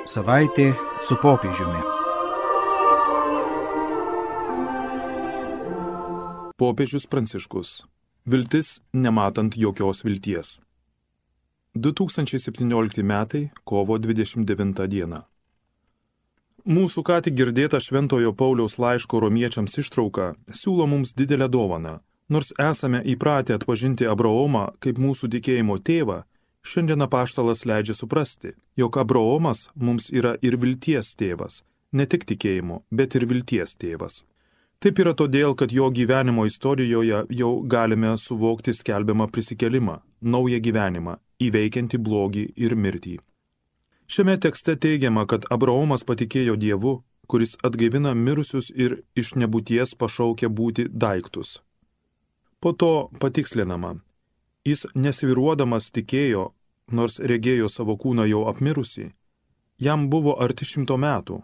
Savaitė su popiežiumi. Popiežius Pranciškus. Viltis nematant jokios vilties. 2017 metai, kovo 29 diena. Mūsų ką tik girdėta Šventojo Pauliaus laiško romiečiams ištrauka siūlo mums didelę dovaną. Nors esame įpratę atpažinti Abraomą kaip mūsų tikėjimo tėvą, šiandien apaštalas leidžia suprasti, jog Abraomas mums yra ir vilties tėvas, ne tik tikėjimo, bet ir vilties tėvas. Taip yra todėl, kad jo gyvenimo istorijoje jau galime suvokti skelbiamą prisikėlimą, naują gyvenimą, įveikiantį blogį ir mirtį. Šiame tekste teigiama, kad Abraomas patikėjo Dievu, kuris atgaivina mirusius ir iš nebūties pašaukia būti daiktus. Po to patikslinama, jis nesviruodamas tikėjo, nors regėjo savo kūną jau apmirusį, jam buvo arti 100 metų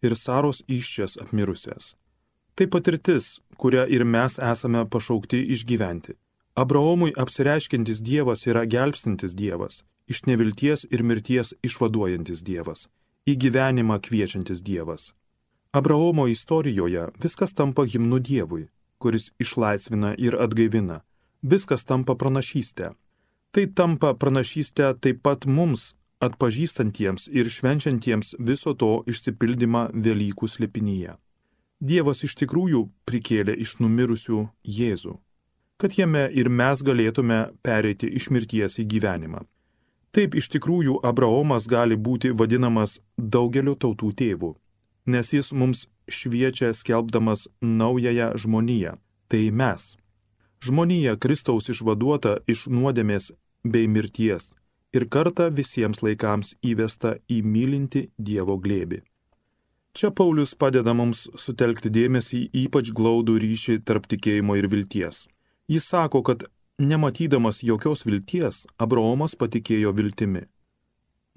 ir Saros įsčias apmirusias. Tai patirtis, kurią ir mes esame pašaukti išgyventi. Abraomui apsireiškiantis Dievas yra gelbstintis Dievas, iš nevilties ir mirties išvaduojantis Dievas, į gyvenimą kviečiantis Dievas. Abraomo istorijoje viskas tampa himnu Dievui, kuris išlaisvina ir atgaivina. Viskas tampa pranašystė. Tai tampa pranašystė taip pat mums, atpažįstantiems ir švenčiantiems viso to išsipildymą Velykų slėpinyje. Dievas iš tikrųjų prikėlė iš numirusių Jėzų, kad jame ir mes galėtume pereiti iš mirties į gyvenimą. Taip iš tikrųjų Abraomas gali būti vadinamas daugelio tautų tėvu, nes jis mums šviečia skelbdamas naująją žmoniją, tai mes. Žmonija Kristaus išvaduota iš nuodėmės bei mirties ir kartą visiems laikams įvesta į mylintį Dievo glėbį. Čia Paulius padeda mums sutelkti dėmesį į ypač glaudų ryšį tarp tikėjimo ir vilties. Jis sako, kad nematydamas jokios vilties, Abraomas patikėjo viltimi.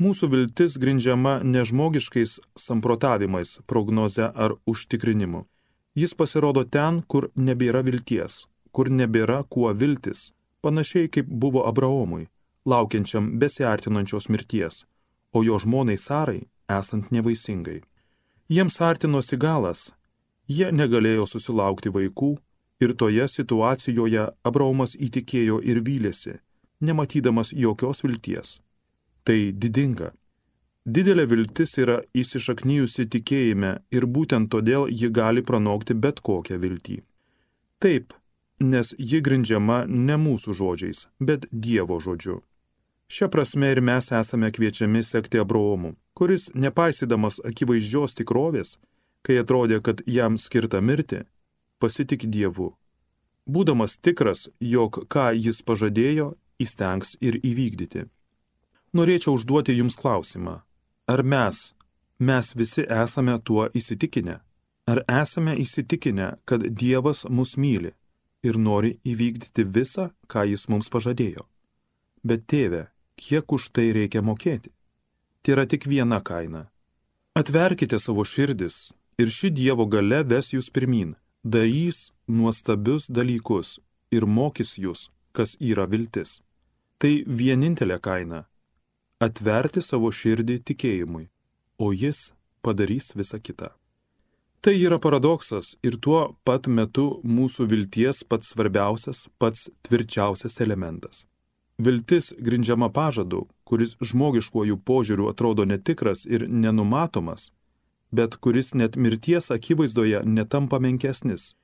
Mūsų viltis grindžiama nežmogiškais samprotavimais, prognoze ar užtikrinimu. Jis pasirodo ten, kur nebėra vilties, kur nebėra kuo viltis, panašiai kaip buvo Abraomui, laukiančiam besiartinančios mirties, o jo žmonai Sarai esant nevaisingai. Jiems artinosi galas, jie negalėjo susilaukti vaikų ir toje situacijoje Abraomas įtikėjo ir vylėsi, nematydamas jokios vilties. Tai didinga. Didelė viltis yra įsišaknijusi tikėjime ir būtent todėl ji gali pranokti bet kokią viltį. Taip, nes ji grindžiama ne mūsų žodžiais, bet Dievo žodžiu. Šia prasme ir mes esame kviečiami sekti Abraomu, kuris, nepaisydamas akivaizdžios tikrovės, kai atrodė, kad jam skirta mirti, pasitiki Dievu. Būdamas tikras, jog ką jis pažadėjo, įstengs ir įvykdyti. Norėčiau užduoti jums klausimą. Ar mes visi esame tuo įsitikinę? Ar esame įsitikinę, kad Dievas mus myli ir nori įvykdyti visą, ką jis mums pažadėjo? Bet tėve, kiek už tai reikia mokėti? Tai yra tik viena kaina. Atverkite savo širdis ir ši Dievo galia ves jūs pirmyn, darys nuostabius dalykus ir mokys jūs, kas yra viltis. Tai vienintelė kaina. Atverti savo širdį tikėjimui, o jis padarys visą kitą. Tai yra paradoksas ir tuo pat metu mūsų vilties pats svarbiausias, pats tvirčiausias elementas. Viltis grindžiama pažadu, kuris žmogiškuoju požiūriu atrodo netikras ir nenumatomas, bet kuris net mirties akivaizdoje netampa menkesnis,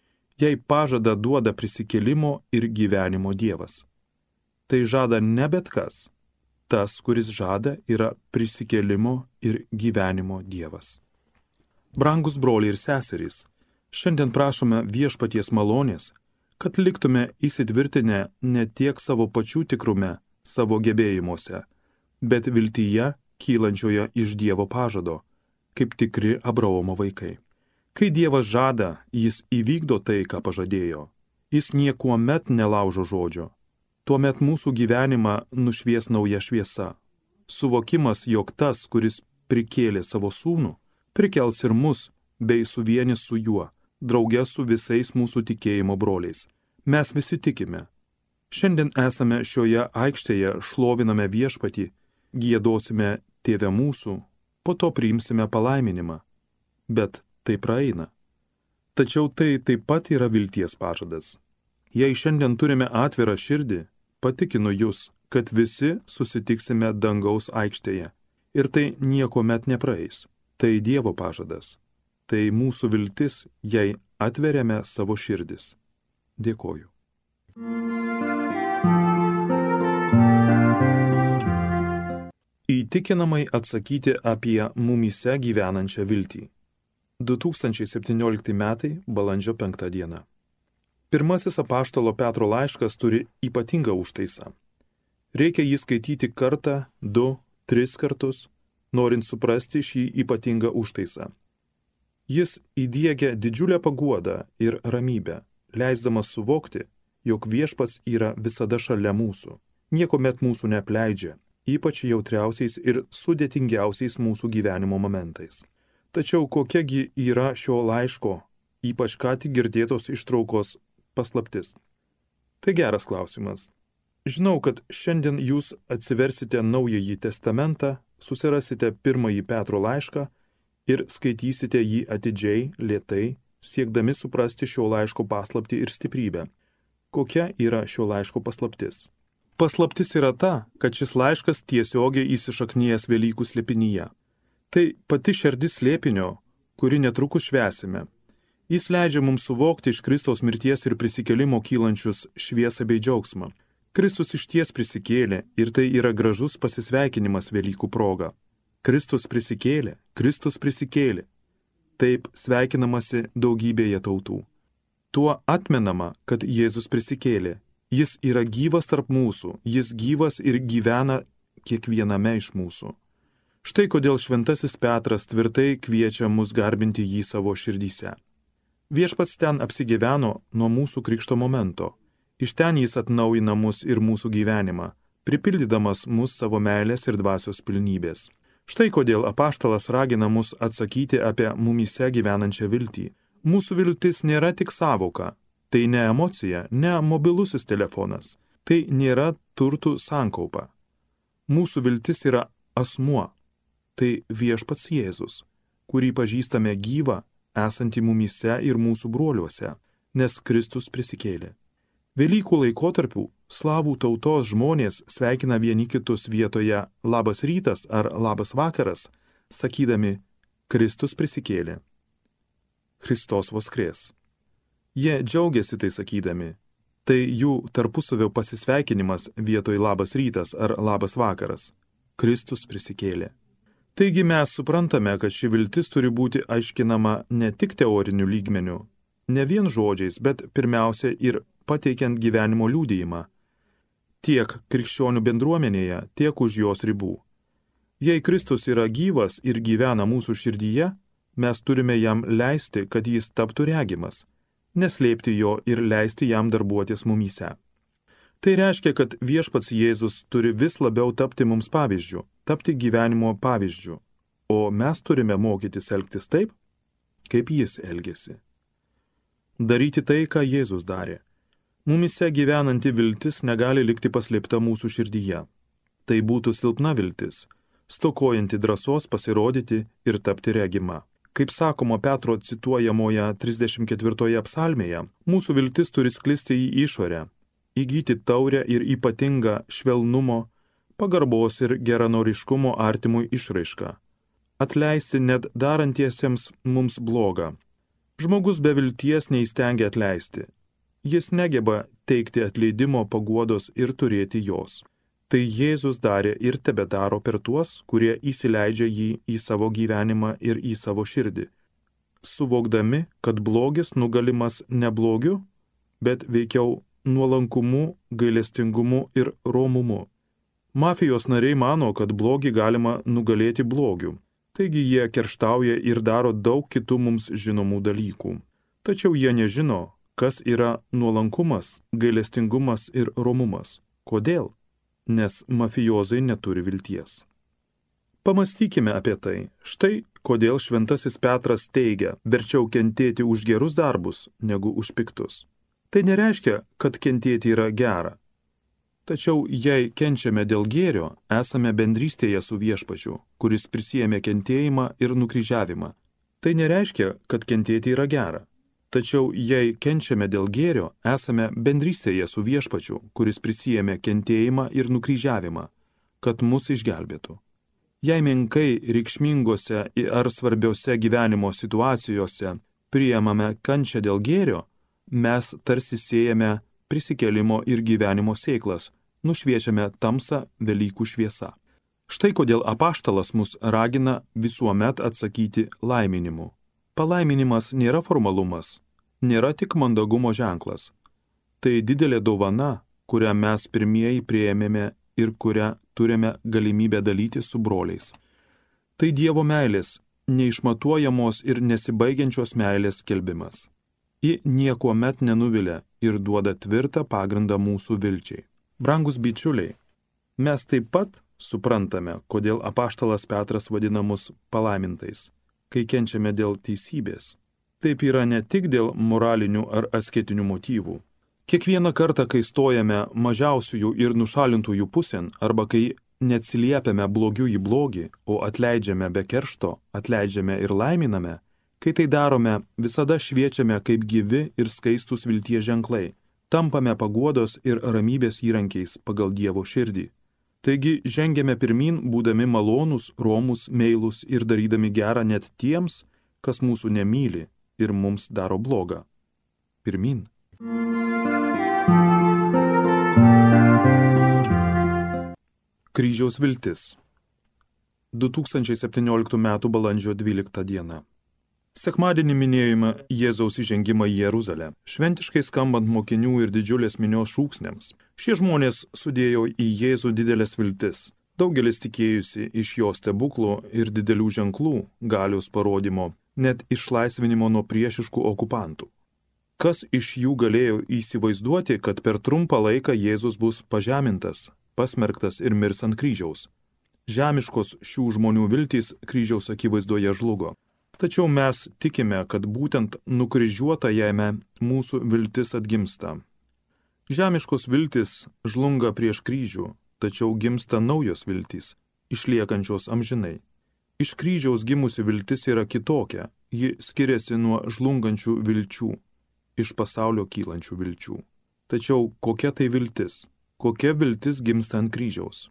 jei pažadą duoda prisikėlimo ir gyvenimo Dievas. Tai žada ne bet kas. Tas, kuris žada, yra prisikėlimo ir gyvenimo Dievas. Brangus broliai ir seserys, šiandien prašome Viešpaties malonės, kad liktume įsitvirtinę ne tiek savo pačių tikrume, savo gebėjimuose, bet viltyje kylančioje iš Dievo pažado, kaip tikri Abraomo vaikai. Kai Dievas žada, jis įvykdo tai, ką pažadėjo. Jis niekuomet nelaužo žodžio. Tuomet mūsų gyvenimą nušvies nauja šviesa. Suvokimas, jog tas, kuris prikėlė savo sūnų, prikels ir mus, bei suvienys su juo, drauge su visais mūsų tikėjimo broliais. Mes visi tikime. Šiandien esame šioje aikštėje, šloviname Viešpatį, giedosime Tėve mūsų, po to priimsime palaiminimą. Bet tai praeina. Tačiau tai taip pat yra vilties pažadas. Jei šiandien turime atvirą širdį, patikinu jūs, kad visi susitiksime dangaus aikštėje. Ir tai niekuomet nepraeis. Tai Dievo pažadas. Tai mūsų viltis, jei atveriame savo širdis. Dėkoju. Įtikinamai atsakyti apie mumyse gyvenančią viltį. 2017 metai, balandžio 5 diena. Pirmasis apaštalo Petro laiškas turi ypatingą užtaisą. Reikia jį skaityti kartą, 2, 3 kartus, norint suprasti šį ypatingą užtaisą. Jis įdiegia didžiulę paguodą ir ramybę, leisdamas suvokti, jog viešpats yra visada šalia mūsų, niekuomet mūsų neapleidžia, ypač jautriausiais ir sudėtingiausiais mūsų gyvenimo momentais. Tačiau kokiagi yra šio laiško, ypač ką tik girdėtos ištraukos, paslaptis? Tai geras klausimas. Žinau, kad šiandien jūs atsiversite Naująjį testamentą, susirasite Pirmąjį Petro laišką ir skaitysite jį atidžiai, lėtai, siekdami suprasti šio laiško paslaptį ir stiprybę. Kokia yra šio laiško paslaptis? Paslaptis yra ta, kad šis laiškas tiesiogiai įsišaknijęs Velykų slėpinyje. Tai pati šerdis slėpinio, kuri netrukus švęsime. Jis leidžia mums suvokti iš Kristaus mirties ir prisikėlimo kylančius šviesą bei džiaugsmą. Kristus išties prisikėlė ir tai yra gražus pasisveikinimas Velykų proga. Kristus prisikėlė, Kristus prisikėlė. Taip sveikinamasi daugybėje tautų. Tuo atmenama, kad Jėzus prisikėlė. Jis yra gyvas tarp mūsų, jis gyvas ir gyvena kiekviename iš mūsų. Štai kodėl šventasis Petras tvirtai kviečia mus garbinti jį savo širdyse. Viešpats ten apsigyveno nuo mūsų krikšto momento. Iš ten jis atnaujina mus ir mūsų gyvenimą, pripildydamas mus savo meilės ir dvasios pilnybės. Štai kodėl apaštalas ragina mus atsakyti apie mumyse gyvenančią viltį. Mūsų viltis nėra tik sąvoka. Tai ne emocija, ne mobilusis telefonas. Tai nėra turtų sankaupa. Mūsų viltis yra asmuo. Tai viešpats Jėzus, kurį pažįstame gyvą, esantį mumyse ir mūsų broliuose, nes Kristus prisikėlė. Velykų laikotarpių slavų tautos žmonės sveikina vieni kitus vietoje labas rytas ar labas vakaras, sakydami Kristus prisikėlė. Christos voskres. Jie džiaugiasi tai sakydami. Tai jų tarpusavio pasisveikinimas vietoj labas rytas ar labas vakaras. Kristus prisikėlė. Taigi mes suprantame, kad ši viltis turi būti aiškinama ne tik teoriniu lygmeniu, ne vien žodžiais, bet pirmiausia ir pateikiant gyvenimo liudijimą. Tiek krikščionių bendruomenėje, tiek už jos ribų. Jei Kristus yra gyvas ir gyvena mūsų širdyje, mes turime jam leisti, kad jis taptų regimas, neslėpti jo ir leisti jam darbuotis mumyse. Tai reiškia, kad viešpats Jėzus turi vis labiau tapti mums pavyzdžiu, tapti gyvenimo pavyzdžiu, o mes turime mokytis elgtis taip, kaip jis elgėsi. Daryti tai, ką Jėzus darė. Mumyse gyvenanti viltis negali likti paslėpta mūsų širdyje. Tai būtų silpna viltis, stokojanti drąsos pasirodyti ir tapti regima. Kaip sakoma Petro cituojamoje 34 psalmėje, mūsų viltis turi sklisti į išorę, įgyti taurę ir ypatingą švelnumo, pagarbos ir geranoriškumo artimui išraišką. Atleisti net darantiesiems mums blogą. Žmogus be vilties neįstengia atleisti. Jis negeba teikti atleidimo, paguodos ir turėti jos. Tai Jėzus darė ir tebedaro per tuos, kurie įsileidžia jį į savo gyvenimą ir į savo širdį, suvokdami, kad blogis nugalimas ne blogiu, bet veikiau nuolankumu, gailestingumu ir romumu. Mafijos nariai mano, kad blogį galima nugalėti blogiu. Taigi jie kerštauja ir daro daug kitų mums žinomų dalykų. Tačiau jie nežino, kas yra nuolankumas, gailestingumas ir romumas. Kodėl? Nes mafijozai neturi vilties. Pamastykime apie tai. Štai kodėl šventasis Petras teigia, verčiau kentėti už gerus darbus, negu už piktus. Tai nereiškia, kad kentėti yra gera. Tačiau jei kenčiame dėl gėrio, esame bendrystėje su Viešpačiu, kuris prisiėmė kentėjimą ir nukryžiavimą. Tai nereiškia, kad kentėti yra gera. Tačiau jei kenčiame dėl gėrio, esame bendrystėje su Viešpačiu, kuris prisiėmė kentėjimą ir nukryžiavimą, kad mus išgelbėtų. Jei menkai reikšmingose ar svarbiose gyvenimo situacijose priimame kančią dėl gėrio, mes tarsi siejame prisikėlimo ir gyvenimo sėklas, nušviečiame tamsą Velykų šviesa. Štai kodėl apaštalas mus ragina visuomet atsakyti laiminimu. Palaiminimas nėra formalumas, nėra tik mandagumo ženklas. Tai didelė dovana, kurią mes pirmieji priėmėme ir kurią turime galimybę dalyti su broliais. Tai Dievo meilės, neišmatuojamos ir nesibaigiančios meilės skelbimas. Ji niekuomet nenuvilia ir duoda tvirtą pagrindą mūsų vilčiai. Brangus bičiuliai, mes taip pat suprantame, kodėl apaštalas Petras vadina mus palaimintais, kai kenčiame dėl teisybės. Taip yra ne tik dėl moralinių ar asketinių motyvų. Kiekvieną kartą, kai stojame mažiausiųjų ir nušalintųjų pusėn, arba kai neatsiliepiame blogiu į blogį, o atleidžiame be keršto, atleidžiame ir laiminame, kai tai darome, visada šviečiame kaip gyvi ir skaistus vilties ženklai, tampame paguodos ir ramybės įrankiais pagal Dievo širdį. Taigi žengiame pirmin, būdami malonūs, romus, meilūs ir darydami gerą net tiems, kas mūsų nemyli ir mums daro blogą. Pirmin. Kryžiaus viltis. 2017 m. balandžio 12 diena. Sekmadienį minėjome Jėzaus įžengimą į Jeruzalę, šventiškai skambant mokinių ir didžiulės minios šūksniams. Šie žmonės sudėjo į Jėzų didelės viltis. Daugelis tikėjusi iš jo stebuklų ir didelių ženklų, galios parodymo, net išlaisvinimo nuo priešiškų okupantų. Kas iš jų galėjo įsivaizduoti, kad per trumpą laiką Jėzus bus pažemintas, pasmerktas ir mirs ant kryžiaus? Žemiškos šių žmonių viltys kryžiaus akivaizdoje žlugo. Tačiau mes tikime, kad būtent nukryžiuotajame mūsų viltis atgimsta. Žemiškos viltis žlunga prieš kryžių, tačiau gimsta naujos viltys, išliekančios amžinai. Iš kryžiaus gimusi viltis yra kitokia, ji skiriasi nuo žlungančių vilčių, iš pasaulio kylančių vilčių. Tačiau kokia tai viltis? Kokia viltis gimsta ant kryžiaus?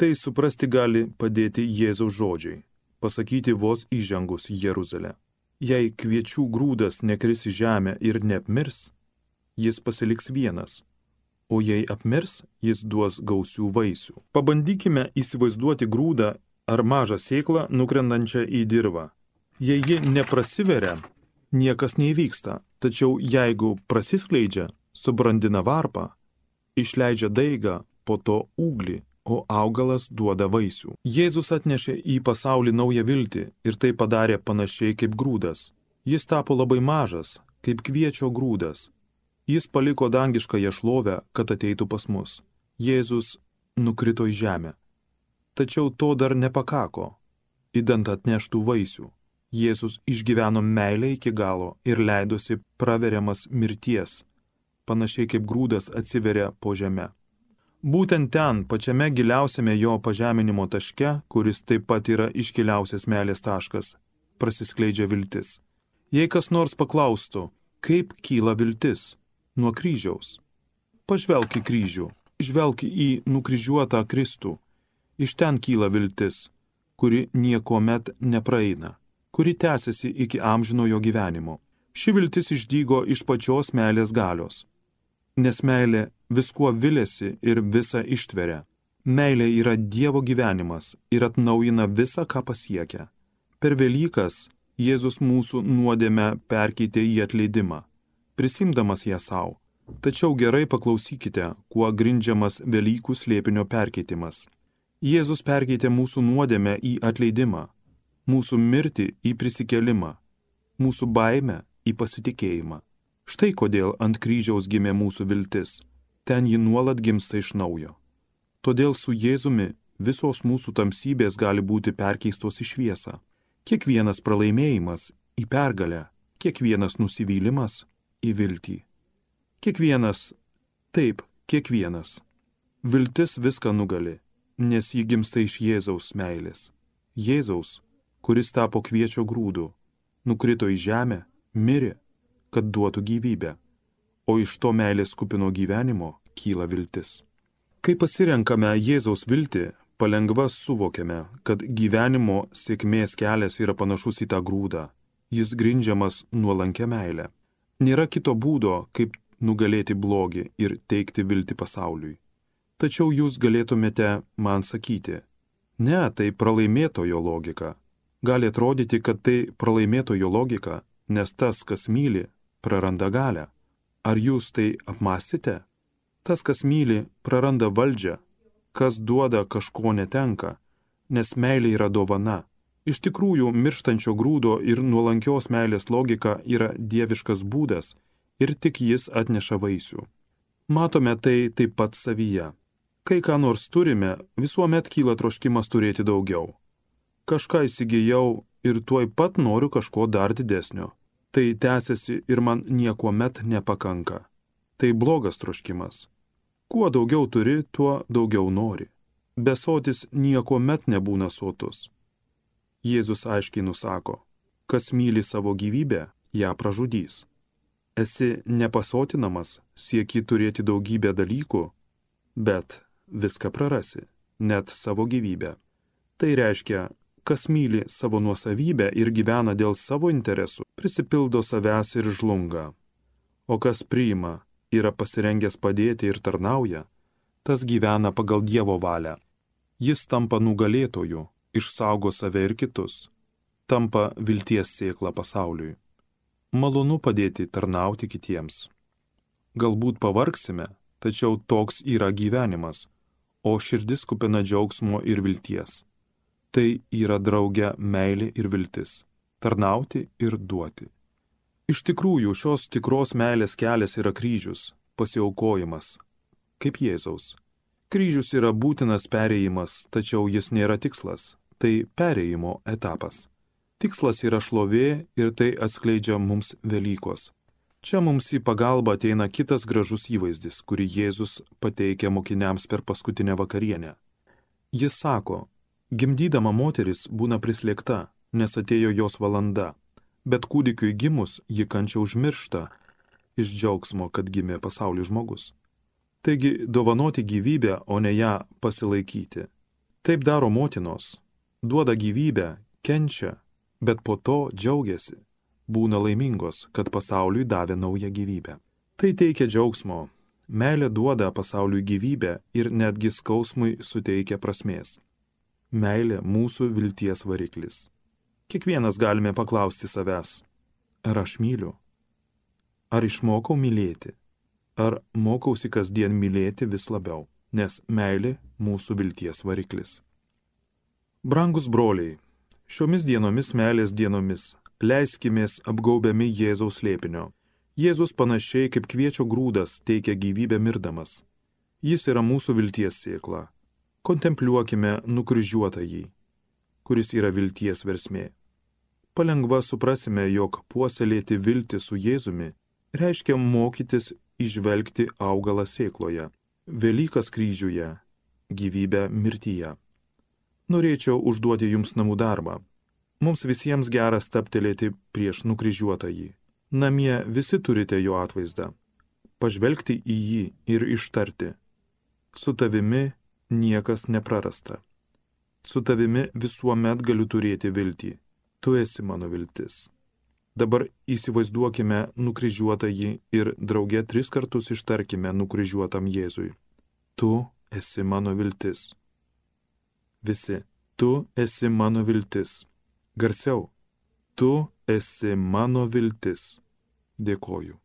Tai suprasti gali padėti Jėzaus žodžiai, pasakyti vos įžengus į Jeruzalę. Jei kviečių grūdas nekris į žemę ir neapmirs, jis pasiliks vienas, o jei apmirs, jis duos gausių vaisių. Pabandykime įsivaizduoti grūdą ar mažą sėklą nukrendančią į dirvą. Jei ji neprasiveria, niekas neįvyksta, tačiau jeigu prasiskleidžia, subrandina varpą, išleidžia daigą, po to ūglį, o augalas duoda vaisių. Jėzus atnešė į pasaulį naują viltį ir tai padarė panašiai kaip grūdas. Jis tapo labai mažas, kaip kviečio grūdas. Jis paliko dangiškąją šlovę, kad ateitų pas mus. Jėzus nukrito į žemę. Tačiau to dar nepakako, idant atneštų vaisių. Jėzus išgyveno meilę iki galo ir leidosi praveriamas mirties, panašiai kaip grūdas atsiveria po žeme. Būtent ten, pačiame giliausiame jo pažeminimo taške, kuris taip pat yra iškiliausias meilės taškas, prasiskleidžia viltis. Jei kas nors paklaustų, kaip kyla viltis? Nuo kryžiaus. Pažvelk į kryžių, žvelk į nukryžiuotą Kristų. Iš ten kyla viltis, kuri niekuomet nepraeina, kuri tęsiasi iki amžinojo gyvenimo. Ši viltis išdygo iš pačios meilės galios. Nes meilė viskuo viliasi ir visą ištveria. Meilė yra Dievo gyvenimas ir atnaujina visą, ką pasiekia. Per Velykas Jėzus mūsų nuodėmę perkeitė į atleidimą, prisimdamas ją savo. Tačiau gerai paklausykite, kuo grindžiamas Velykų slėpinio perkeitimas. Jėzus perkeitė mūsų nuodėmę į atleidimą, mūsų mirtį į prisikėlimą, mūsų baimę į pasitikėjimą. Štai kodėl ant kryžiaus gimė mūsų viltis. Ten ji nuolat gimsta iš naujo. Todėl su Jėzumi visos mūsų tamsybės gali būti perkeistos į šviesą. Kiekvienas pralaimėjimas į pergalę, kiekvienas nusivylimas į viltį. Kiekvienas, taip, kiekvienas. Viltis viską nugali, nes ji gimsta iš Jėzaus meilės. Jėzaus, kuris tapo kviečio grūdu, nukrito į žemę, mirė, kad duotų gyvybę, o iš to meilės kupino gyvenimo kyla viltis. Kai pasirenkame Jėzaus viltį, palengva suvokiame, kad gyvenimo sėkmės kelias yra panašus į tą grūdą. Jis grindžiamas nuolankia meile. Nėra kito būdo, kaip nugalėti blogį ir teikti viltį pasauliui. Tačiau jūs galėtumėte man sakyti, ne, tai pralaimėtojo logika. Gali atrodyti, kad tai pralaimėtojo logika, nes tas, kas myli, praranda galią. Ar jūs tai apmąstėte? Tas, kas myli, praranda valdžią. Kas duoda, kažko netenka, nes meilė yra dovana. Iš tikrųjų, mirštančio grūdo ir nuolankios meilės logika yra dieviškas būdas ir tik jis atneša vaisių. Matome tai taip pat savyje. Kai ką nors turime, visuomet kyla troškimas turėti daugiau. Kažką įsigijau ir tuoj pat noriu kažko dar didesnio. Tai tęsiasi ir man niekuomet nepakanka. Tai blogas troškimas. Kuo daugiau turi, tuo daugiau nori. Besotis niekuomet nebūna sotus. Jėzus aiškiai nusako, kas myli savo gyvybę, ją pražudys. Esi nepasotinamas, sieki turėti daugybę dalykų, bet viską prarasi, net savo gyvybę. Tai reiškia, kas myli savo nuosavybę ir gyvena dėl savo interesų, prisipildo savęs ir žlunga. O kas priima, yra pasirengęs padėti ir tarnauja, tas gyvena pagal Dievo valią. Jis tampa nugalėtoju, išsaugo save ir kitus, tampa vilties sėkla pasauliui. Malonu padėti tarnauti kitiems. Galbūt pavargsime, tačiau toks yra gyvenimas, o širdis kupina džiaugsmo ir vilties. Tai yra drauge meilė ir viltis, tarnauti ir duoti. Iš tikrųjų, šios tikros meilės kelias yra kryžius, pasiaukojimas, kaip Jėzaus. Kryžius yra būtinas perėjimas, tačiau jis nėra tikslas. Tai perėjimo etapas. Tikslas yra šlovė ir tai atskleidžia mums Velykos. Čia mums į pagalbą ateina kitas gražus įvaizdis, kurį Jėzus pateikia mokiniams per paskutinę vakarienę. Jis sako, gimdydama moteris būna prislėgta, nes atėjo jos valanda, bet kūdikiui gimus ji kančią užmiršta iš džiaugsmo, kad gimė pasauliui žmogus. Taigi dovanoti gyvybę, o ne ją pasilaikyti. Taip daro motinos. Duoda gyvybę, kenčia, bet po to džiaugiasi, būna laimingos, kad pasauliui davė naują gyvybę. Tai teikia džiaugsmo, meilė duoda pasauliui gyvybę ir netgi skausmui suteikia prasmės. Meilė mūsų vilties variklis. Kiekvienas galime paklausti savęs, ar aš myliu? Ar išmokau mylėti? Ar mokausi kasdien mylėti vis labiau, nes meilė mūsų vilties variklis. Brangus broliai, šiomis dienomis meilės dienomis leiskimės apgaubiami Jėzaus slėpinio. Jėzus panašiai kaip kviečio grūdas teikia gyvybę mirdamas. Jis yra mūsų vilties sėkla. Kontempliuokime nukryžiuotąjį, kuris yra vilties versmė. Palengva suprasime, jog puoselėti viltį su Jėzumi reiškia mokytis įžvelgti augalą sėkloje, Velykas kryžiuje, gyvybę mirtyje. Norėčiau užduoti jums namų darbą. Mums visiems gera stabtelėti prieš nukryžiuotąjį. Namie visi turite jo atvaizdą. Pažvelgti į jį ir ištarti. Su tavimi niekas neprarasta. Su tavimi visuomet galiu turėti viltį. Tu esi mano viltis. Dabar įsivaizduokime nukryžiuotąjį ir drauge 3 kartus ištarkime nukryžiuotam Jėzui. Tu esi mano viltis. Visi, tu esi mano viltis. Garsiau, tu esi mano viltis. Dėkoju.